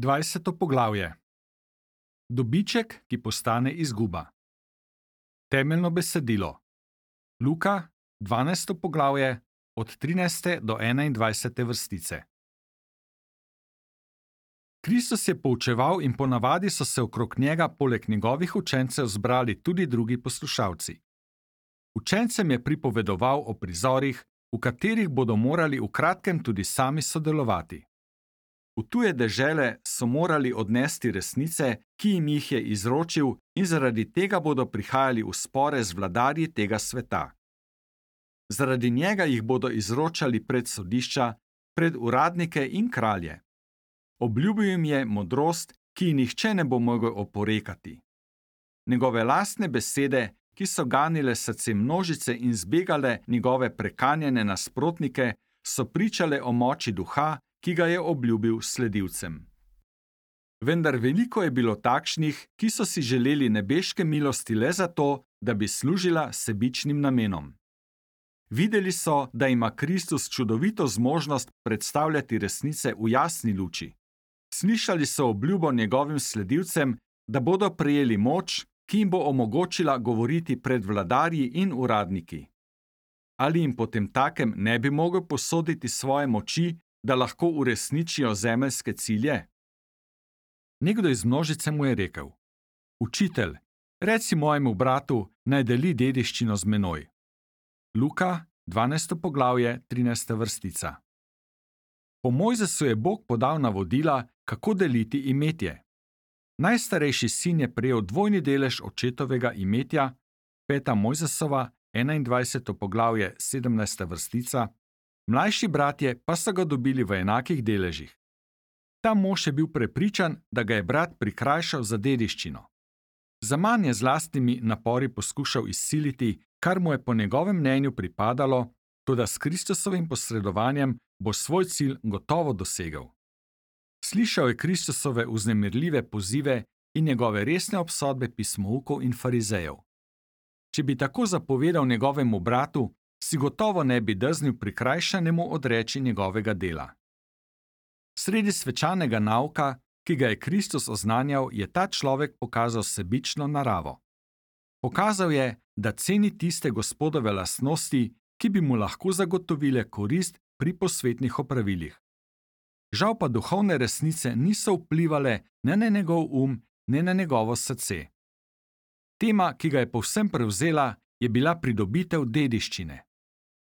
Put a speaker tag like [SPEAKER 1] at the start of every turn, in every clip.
[SPEAKER 1] 20. poglavje. Dobiček, ki postane izguba. Temeljno besedilo. Luka, 12. poglavje, od 13. do 21. vrstice. Kristus je poučeval in ponavadi so se okrog njega poleg njegovih učencev zbrali tudi drugi poslušalci. Učencem je pripovedoval o prizorih, v katerih bodo morali v kratkem tudi sami sodelovati. V tuje dežele so morali odnesti resnice, ki jim jih je izročil, in zaradi tega bodo prihajali v spore z vladarji tega sveta. Zaradi njega jih bodo izročali pred sodišča, pred uradnike in kralje. Obljubil jim je modrost, ki ji nihče ne bo mogel oporekati. Njegove lastne besede, ki so ganile srce množice in zbegale njegove prekanjene nasprotnike, so pričale o moči duha, ki ga je obljubil sledilcem. Vendar veliko je bilo takšnih, ki so si želeli nebeške milosti le zato, da bi služila sebičnim namenom. Videli so, da ima Kristus čudovito zmožnost predstavljati resnice v jasni luči. Slišali so obljubo njegovim sledilcem, da bodo prejeli moč, ki jim bo omogočila govoriti pred vladarji in uradniki. Ali jim potemtakem ne bi mogel posoditi svoje moči, da lahko uresničijo zemeljske cilje? Nekdo iz množice mu je rekel: Učitelj, reci mojemu bratu, naj deli dediščino z menoj. Luka, 12. poglavje, 13. vrstica. Po Mojzesu je Bog podal navodila, kako deliti imetje. Najstarejši sin je prejel dvojni delež očetovega imetja, 5. Mojzesova, 21. poglavje, 17. vrstica, mlajši bratje pa so ga dobili v enakih deležih. Ta mož je bil prepričan, da ga je brat prikrajšal za dediščino. Zaman je z lastnimi napori poskušal izsiliti, kar mu je po njegovem mnenju pripadalo, toda s Kristusovim posredovanjem bo svoj cilj gotovo dosegel. Slišal je Kristusove vznemirljive pozive in njegove resne obsodbe pismoukov in farizejev. Če bi tako zapovedal njegovemu bratu, si gotovo ne bi drznil prikrajšanemu odreči njegovega dela. Sredi svečanega nauka, ki ga je Kristus oznanjal, je ta človek pokazal sebično naravo. Pokazal je, da ceni tiste Gospodove lastnosti, ki bi mu lahko zagotovile korist pri posvetnih opravilih. Žal pa duhovne resnice niso vplivale ne na njegov ne na njegovo srce. Tema, ki ga je povsem prevzela, je bila pridobitev dediščine.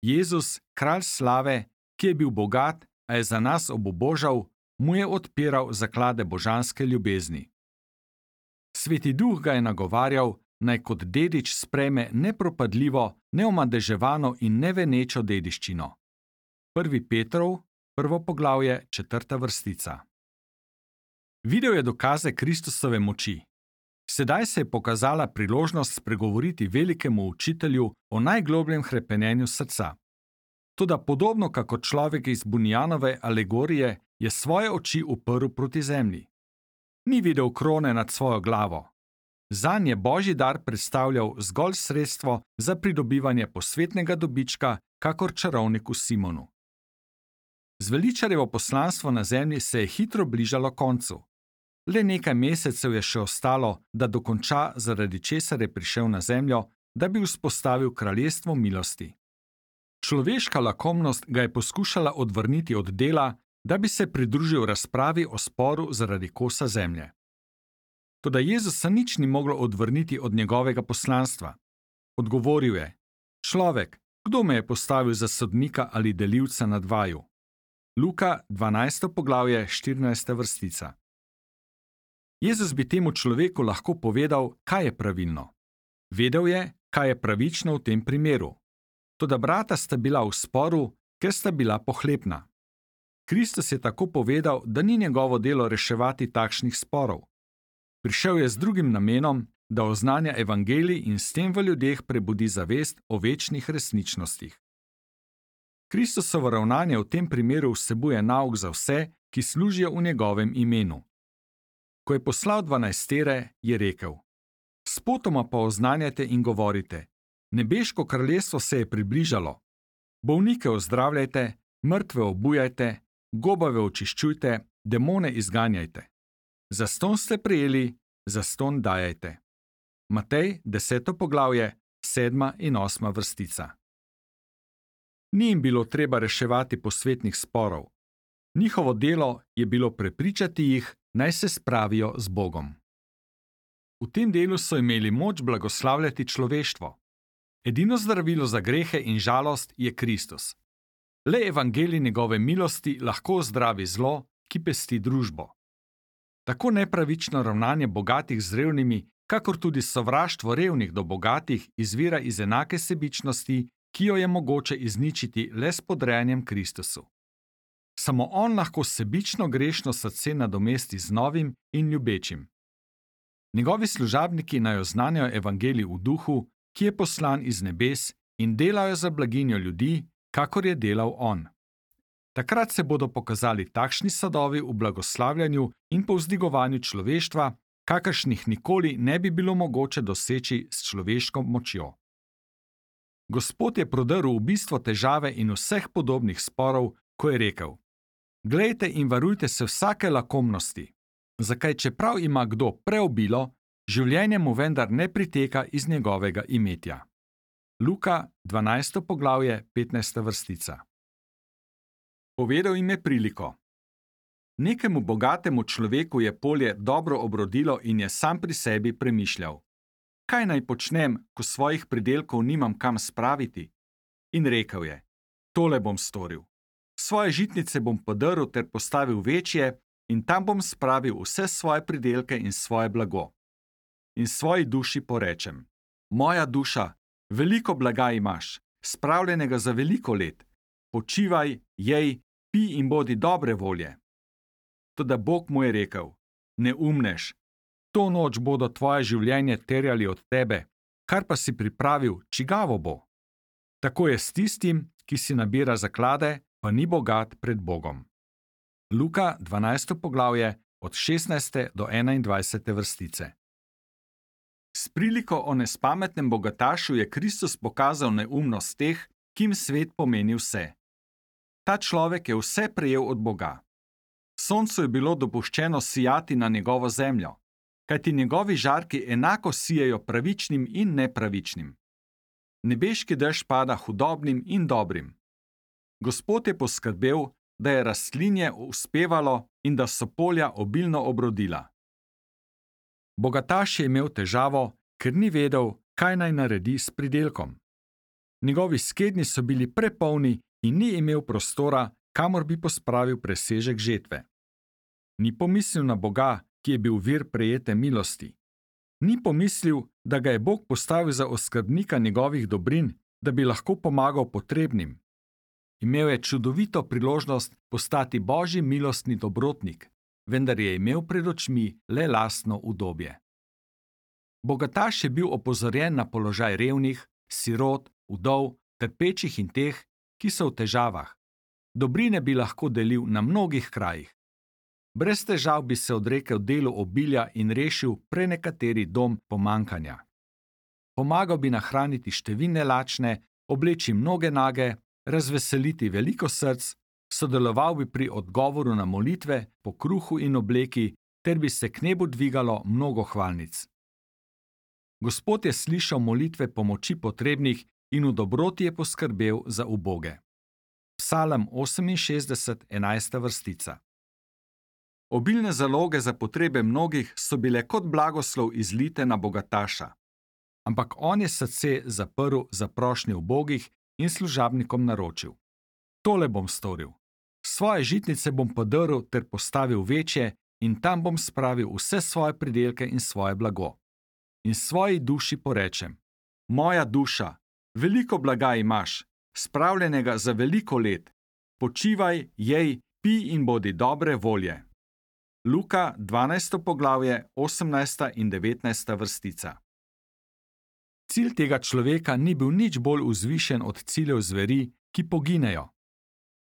[SPEAKER 1] Jezus, kralj slave, ki je bil bogat, a je za nas obubožal, mu je odpiral zaklade božanske ljubezni. Sveti duh ga je nagovarjal, naj kot dedič sprejme nepropadljivo, neomadeževano in nevenečo dediščino. 1. Petrov, 1. poglavje, 4. vrstica. Videl je dokaze Kristusove moči. Sedaj se je pokazala priložnost spregovoriti velikemu učitelju o najglobljem hrepenenju srca. Toda podobno kakor človek iz Bunjanove alegorije je svoje oči uprl proti zemlji. Ni videl krone nad svojo glavo. Zanj je božji dar predstavljal zgolj sredstvo za pridobivanje posvetnega dobička, kakor čarovniku Simonu. Zveličarjevo poslanstvo na zemlji se je hitro bližalo koncu. Le nekaj mesecev je še ostalo, da dokonča, zaradi česar je prišel na zemljo, da bi vzpostavil kraljestvo milosti. Človeška lakomnost ga je poskušala odvrniti od dela, da bi se pridružil razpravi o sporu zaradi kosa zemlje. Toda Jezusa nič ni moglo odvrniti od njegovega poslanstva. Odgovoril je: Človek, kdo me je postavil za sodnika ali delivca nad vaju? Luka, 12. poglavje, 14. vrstica. Jezus bi temu človeku lahko povedal, kaj je pravilno. Vedel je, kaj je pravično v tem primeru. Toda brata sta bila v sporu, ker sta bila pohlepna. Kristus je tako povedal, da ni njegovo delo reševati takšnih sporov. Prišel je z drugim namenom, da oznanja evangelij in s tem v ljudeh prebudi zavest o večnih resničnostih. Kristusovo ravnanje v tem primeru vsebuje nauk za vse, ki služijo v njegovem imenu. Ko je poslal 12, je rekel: Spotoma pa oznanjajte in govorite: Nebeško kraljestvo se je približalo. Bolnike ozdravljajte, mrtve obujajte, gobave očiščujte, demone izganjajte. Zastonj ste prejeli, zastonj dajajte. Matej, 10. poglavje, 7. in 8. vrstica. Ni jim bilo treba reševati posvetnih sporov. Njihovo delo je bilo prepričati jih, naj se spravijo z Bogom. V tem delu so imeli moč blagoslavljati človeštvo. Edino zdravilo za grehe in žalost je Kristus. Le evangelij njegove milosti lahko zdravi zlo, ki pesti družbo. Tako nepravično ravnanje bogatih z revnimi, kakor tudi sovraštvo revnih do bogatih, izvira iz enake sebičnosti, ki jo je mogoče izničiti le s podrejanjem Kristusu. Samo on lahko sebično grešno srce nadomesti z novim in ljubečim. Njegovi služabniki naj oznanjajo evangelij v duhu, ki je poslan iz nebes, in delajo za blaginjo ljudi, kakor je delal on. Takrat se bodo pokazali takšni sadovi v blagoslavljanju in povzdigovanju človeštva, kakršnih nikoli ne bi bilo mogoče doseči s človeško močjo. Gospod je prodrl v bistvo težave in vseh podobnih sporov, ko je rekel: Glejte in varujte se vsake lakomnosti, zakaj čeprav ima kdo preobilo, življenje mu vendar ne priteka iz njegovega imetja. Luka, 12. poglavje, 15. vrstica. Povedal jim je priliko. Nekemu bogatemu človeku je polje dobro obrodilo in je sam pri sebi premišljal: Kaj naj počnem, ko svojih pridelkov nimam kam spraviti? In rekel je: Tole bom storil. Svoje žitnice bom podrl ter postavil večje in tam bom spravil vse svoje pridelke in svoje blago. In svoji duši porečem: Moja duša, veliko blaga imaš, spravljenega za veliko let. Počivaj, jej, pi in bodi dobre volje. Toda Bog mu je rekel: Ne umneš, to noč bodo tvoje življenje terjali od tebe, kar pa si pripravil, čigavo bo. Tako je s tistim, ki si nabira zaklade, pa ni bogat pred Bogom. Luka, 12. poglavje, od 16. do 21. vrstice. S priliko o nespametnem bogatašu je Kristus pokazal neumnost teh, ki jim svet pomeni vse. Ta človek je vse prejel od Boga. Soncu je bilo dopuščeno sijati na njegovo zemljo, kajti njegovi žarki enako sijejo pravičnim in nepravičnim. Nebeški dež pada hudobnim in dobrim. Gospod je poskrbel, da je rastlinje uspevalo in da so polja obilno obrodila. Bogataš je imel težavo, ker ni vedel, kaj naj naredi s pridelkom. Njegovi skednji so bili prepolni in ni imel prostora, kamor bi pospravil presežek žetve. Ni pomislil na Boga, ki je bil vir prejete milosti. Ni pomislil, da ga je Bog postavil za oskrbnika njegovih dobrin, da bi lahko pomagal potrebnim. Imel je čudovito priložnost postati Božji milostni dobrotnik, vendar je imel pred očmi le lastno udobje. Bogataš je bil opozorjen na položaj revnih, sirot, vdov, trpečih in teh, ki so v težavah. Dobrine bi lahko delil na mnogih krajih. Brez težav bi se odrekel delu obilja in rešil prenekateri dom pomankanja. Pomagal bi nahraniti številne lačne, obleči mnoge nage, razveseliti veliko src, sodeloval bi pri odgovoru na molitve, po kruhu in obleki, ter bi se k nebu dvigalo mnogo hvalnic. Gospod je slišal molitve pomoči potrebnih in v dobroti je poskrbel za uboge. Psalm 68, 11. vrstica. Obilne zaloge za potrebe mnogih so bile kot blagoslov izlite na bogataša, ampak on je srce zaprl za prošnje ubogih in služabnikom naročil: Tole bom storil. Svoje žitnice bom podrl ter postavil večje in tam bom spravil vse svoje pridelke in svoje blago. In svoji duši porečem: Moja duša, veliko blaga imaš, spravljenega za veliko let. Počivaj, jej, pi in bodi dobre volje. Luka, 12. poglavje, 18. in 19. vrstica. Cilj tega človeka ni bil nič bolj vzvišen od ciljev zveri, ki poginejo.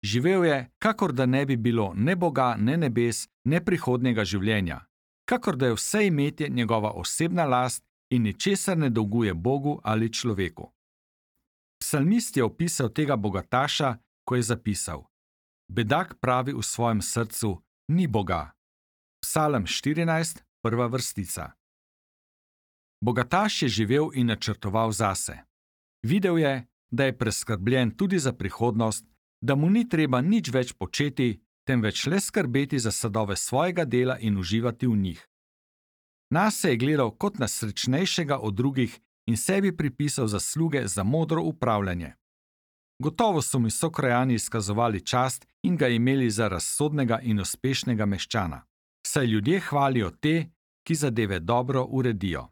[SPEAKER 1] Živel je, kakor da ne bi bilo ne Boga, ne nebes, ne prihodnjega življenja, kakor da je vse imetje njegova osebna last in ničesar ne dolguje Bogu ali človeku. Psalmist je opisal tega bogataša, ko je zapisal: Bedak pravi v svojem srcu: ni Boga. Psalm 14, prva vrstica. Bogataš je živel in načrtoval zase. Videl je, da je preskrbljen tudi za prihodnost, da mu ni treba nič več početi, temveč le skrbeti za sadove svojega dela in uživati v njih. Nase je gledal kot na srečnejšega od drugih in sebi pripisal zasluge za modro upravljanje. Gotovo so mi sokrajani izkazovali čast in ga imeli za razsodnega in uspešnega meščana, saj ljudje hvalijo te, ki zadeve dobro uredijo.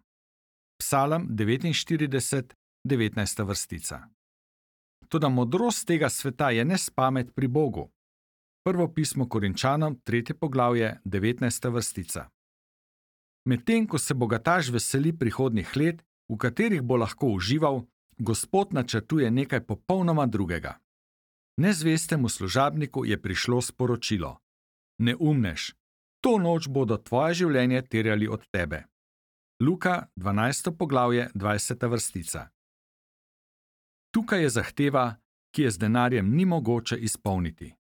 [SPEAKER 1] Psalm 49, 19. vrstica. Toda modrost tega sveta je nespamet pri Bogu. Prvo pismo Korinčanom, 3. poglavje, 19. vrstica. Medtem ko se bogataš veseli prihodnjih let, v katerih bo lahko užival, Gospod načrtuje nekaj popolnoma drugega. Nezvestemu služabniku je prišlo sporočilo: Neumnež, to noč bodo tvoje življenje terjali od tebe. Luka, 12. poglavje, 20. vrstica. Tukaj je zahteva, ki je z denarjem ni mogoče izpolniti.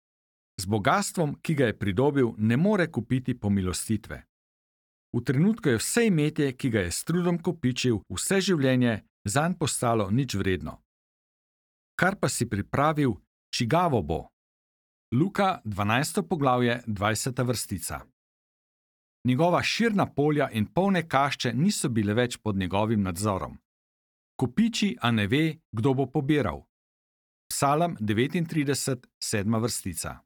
[SPEAKER 1] Z bogastvom, ki ga je pridobil, ne more kupiti pomilostitve. V trenutku je vse imetje, ki ga je s trudom kopičil vse življenje, zanj postalo nič vredno. Kar pa si pripravil, čigavo bo? Luka, 12. poglavje, 20. vrstica. Njegova širna polja in polne kašče niso bile več pod njegovim nadzorom. Kopiči, a ne ve, kdo bo pobiral. Psalm 39, 7. vrstica.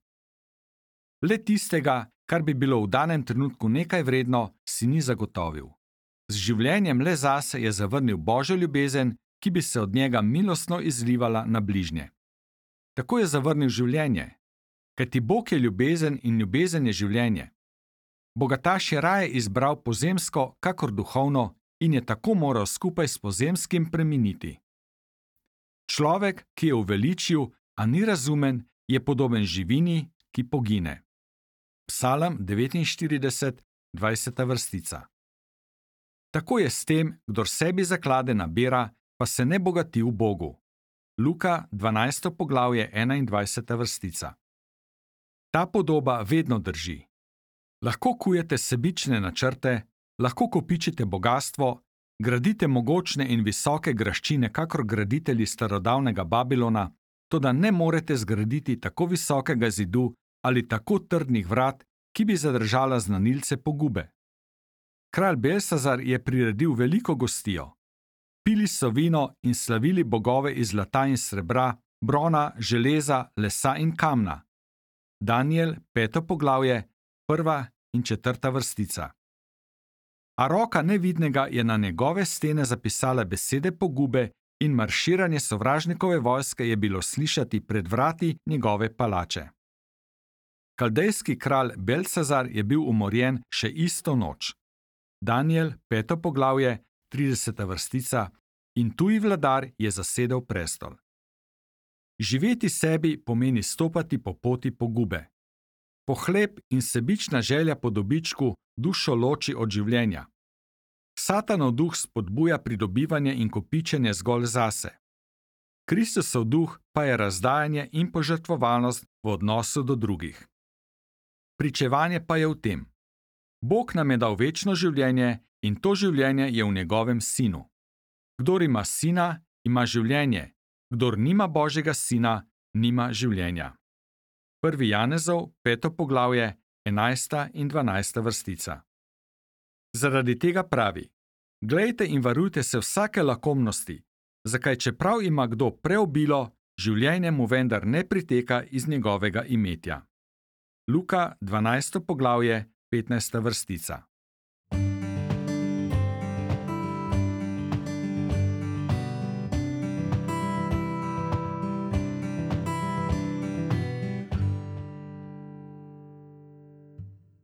[SPEAKER 1] Le tistega, kar bi bilo v danem trenutku nekaj vredno, si ni zagotovil. Z življenjem le zase je zavrnil Božjo ljubezen, ki bi se od njega milostno izlivala na bližnje. Tako je zavrnil življenje, kajti Bog je ljubezen in ljubezen je življenje. Bogataš je raje izbral pozemsko, kakor duhovno, in je tako moral skupaj s pozemskim preminiti. Človek, ki je uveličil, a ni razumen, je podoben živini, ki pogine. Psalm 49, 20. vrstica. Tako je s tem, kdor sebi zaklade nabira, pa se ne bogati v Bogu. Luka, 12. poglavje, 21. vrstica. Ta podoba vedno drži. Lahko kujete sebične načrte, lahko kopičite bogastvo, gradite mogočne in visoke graščine, kakor graditelji starodavnega Babilona, toda ne morete zgraditi tako visokega zidu ali tako trdnih vrat, ki bi zadržala znanilce pogube. Kralj Belsazar je priredil veliko gostijo. Pili so vino in slavili bogove iz zlata in srebra, brona, železa, lesa in kamna. Danijel, 5. poglavje, 1. in 4. vrstica. A roka nevidnega je na njegove stene zapisala besede pogube in marširanje sovražnikove vojske je bilo slišati pred vrati njegove palače. Kaldejski kralj Belsazar je bil umorjen še isto noč. Danijel, 5. poglavje, 30. vrstica, in tuji vladar je zasedel prestol. Živeti sebi pomeni stopati po poti pogube. Pohlep in sebična želja po dobičku dušo loči od življenja. Satanov duh spodbuja pridobivanje in kopičenje zgolj zase. Kristusov duh pa je razdajanje in požrtvovalnost v odnosu do drugih. Pričevanje pa je v tem: Bog nam je dal večno življenje in to življenje je v njegovem sinu. Kdor ima sina, ima življenje, kdor nima Božjega sina, nima življenja. 1. Janezov, 5. poglavje, 11. in 12. vrstica. Zaradi tega pravi: Glejte in varujte se vsake lakomnosti, zakaj čeprav ima kdo preobilo, življenje mu vendar ne priteka iz njegovega imetja. Luka, 12. poglavje, 15. vrstica.